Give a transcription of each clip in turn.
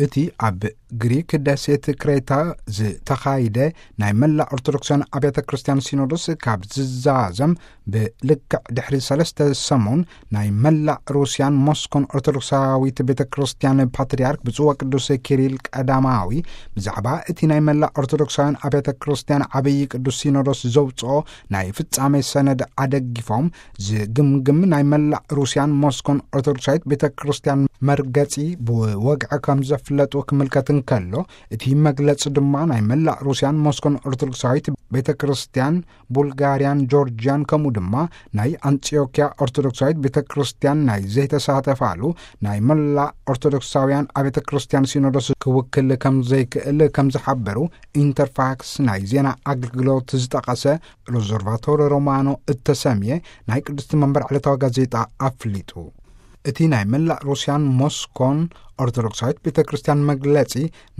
እቲ ኣብ ግሪክ ደሴት ክሬታ ዝተኻይደ ናይ መላእ ኦርቶዶክሳውያን ኣብያተ ክርስቲያን ሲኖዶስ ካብ ዝዛዘም ብልክዕ ድሕሪ ሰለስተ ሰሙን፣ ናይ መላእ ሩስያን ሞስኮን ኦርቶዶክሳዊት ቤተ ክርስቲያን ፓትርያርክ ብፁዕ ወቅዱስ ኪሪል ቀዳማዊ ብዛዕባ እቲ ናይ መላእ ኦርቶዶክሳውያን ኣብያተ ክርስቲያን ዓብዪ ቅዱስ ሲኖዶስ ዘውፅኦ ናይ ፍጻሜ ሰነድ ኣደጊፎም፣ ዝግምግም ናይ መላእ ሩስያን ሞስኮን ኦርቶዶክሳዊት ቤተ ክርስቲያን መርገጺ ብወግዒ ከም ዘፍለጡ ክምልከት እንከሎ፣ እቲ መግለጺ ድማ ናይ መላእ ሩስያን ሞስኮን ኦርቶዶክሳዊት ቤተ ክርስቲያን፣ ቡልጋርያን ጆርጅያን፣ ከምኡ ድማ ናይ ኣንጢዮክያ ኦርቶዶክሳዊት ቤተ ክርስቲያን ናይ ዘይተሳተፋሉ ናይ መላእ ኦርቶዶክሳውያን ኣብያተ ክርስቲያን ሲኖዶስ ክውክል ከም ዘይክእል ከም ዝሓበሩ ኢንተርፋክስ ናይ ዜና ኣገልግሎት ዝጠቐሰ ሎዞርቫቶሪ ሮማኖ እተሰምየ ናይ ቅድስቲ መንበር ዕለታዊ ጋዜጣ ኣፍሊጡ። እቲ ናይ መላእ ሩስያን ሞስኮን ኦርቶዶክሳዊት ቤተ ክርስቲያን መግለጺ፣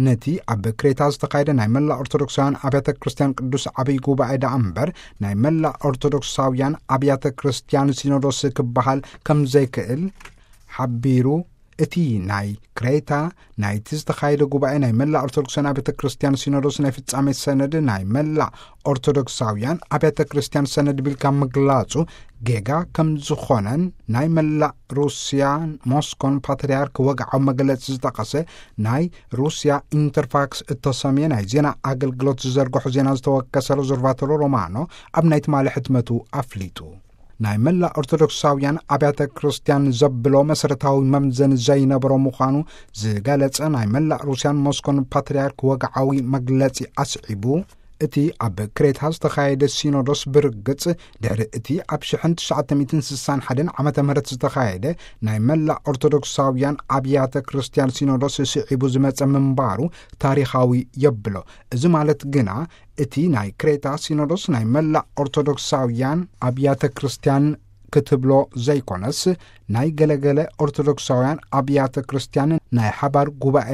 ነቲ ኣብ ክሬታ ዝተኻየደ ናይ መላእ ኦርቶዶክሳውያን ኣብያተ ክርስቲያን ቅዱስ ዓብዪ ጉባኤ ደኣ እምበር፣ ናይ መላእ ኦርቶዶክሳውያን ኣብያተ ክርስቲያን ሲኖዶስ ክበሃል ከም ዘይክእል ሓቢሩ። እቲ ናይ ክሬታ ናይቲ ዝተኻየደ ጉባኤ ናይ መላእ ኦርቶዶክሳውያን ኣብያተ ክርስቲያን ሲኖዶስ ናይ ፍጻሜ ሰነድ ናይ መላእ ኦርቶዶክሳውያን ኣብያተ ክርስቲያን ሰነድ ቢልካ ምግላጹ ጌጋ ከም ዝኾነን፣ ናይ መላእ ሩስያን ሞስኮን ፓትርያርክ ወግዓዊ መግለጺ ዝጠቐሰ ናይ ሩስያ ኢንተርፋክስ እተሰምየ ናይ ዜና ኣገልግሎት ዝዘርግሑ ዜና ዝተወከሰ ሎዞርቫቶሮ ሮማኖ ኣብ ናይ ትማሊ ሕትመቱ ኣፍሊጡ። ናይ መላእ ኦርቶዶክሳውያን ኣብያተ ክርስቲያን ዘብሎ መሰረታዊ መምዘኒ ዘይነበሮ ምዃኑ ዝገለጸ ናይ መላእ ሩስያን ሞስኮን ፓትርያርክ ወግዓዊ መግለጺ ኣስዒቡ፣ እቲ ኣብ ክሬታ ዝተኻየደ ሲኖዶስ ብርግጽ ድሕሪ እቲ ኣብ ሽሕን ትሽዓተ ሚእትን ስሳን ሓደን ዓመተ ምህረት ዝተኻየደ ናይ መላእ ኦርቶዶክሳውያን ኣብያተ ክርስቲያን ሲኖዶስ ስዒቡ ዝመጸ ምንባሩ ታሪኻዊ የብሎ። እዚ ማለት ግና እቲ ናይ ክሬታ ሲኖዶስ ናይ መላእ ኦርቶዶክሳውያን ኣብያተ ክርስቲያን ክትብሎ ዘይኮነስ፣ ናይ ገለገለ ኦርቶዶክሳውያን ኣብያተ ክርስቲያን ናይ ሓባር ጉባኤ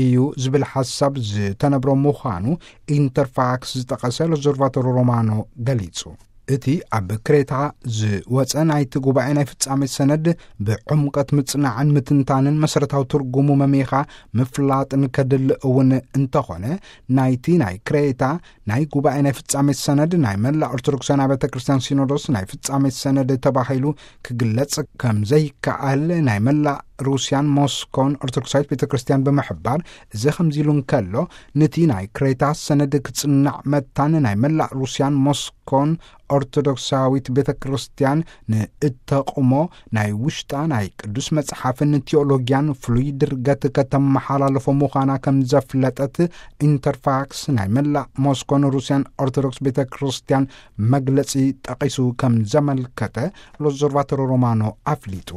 እዩ ዝብል ሓሳብ ዝተነብሮ ምዃኑ ኢንተርፋክስ ዝጠቐሰ ሎዞርቫቶሮ ሮማኖ ገሊጹ። እቲ ኣብ ክሬታ ዝወጸ ናይቲ ጉባኤ ናይ ፍጻሜ ሰነድ ብዕምቀት ምጽናዕን ምትንታንን መሰረታዊ ትርጉሙ መሚኻ ምፍላጥን ከድሊ እውን እንተኾነ፣ ናይቲ ናይ ክሬታ ናይ ጉባኤ ናይ ፍጻሜ ሰነድ ናይ መላእ ኦርቶዶክሳውያን ኣብያተ ክርስቲያን ሲኖዶስ ናይ ፍጻሜ ሰነድ ተባሂሉ ክግለጽ ከም ዘይከኣል ናይ መላእ ሩስያን ሞስኮን ኦርቶዶክሳዊት ቤተ ክርስቲያን ብምሕባር፣ እዚ ከምዚ ኢሉ እንከሎ፣ ነቲ ናይ ክሬታ ሰነድ ክጽናዕ መታን ናይ መላእ ሩስያን ሞስኮን ኦርቶዶክሳዊት ቤተ ክርስቲያን ንእተቕሞ ናይ ውሽጣ ናይ ቅዱስ መጽሓፍን ቲዮሎጊያን ፍሉይ ድርገት ከተመሓላልፎ ምዃና ከም ዘፍለጠት ኢንተርፋክስ ናይ መላእ ሞስኮን ሩስያን ኦርቶዶክስ ቤተ ክርስቲያን መግለጺ ጠቒሱ ከም ዘመልከተ ሎዞርቫቶሮ ሮማኖ ኣፍሊጡ።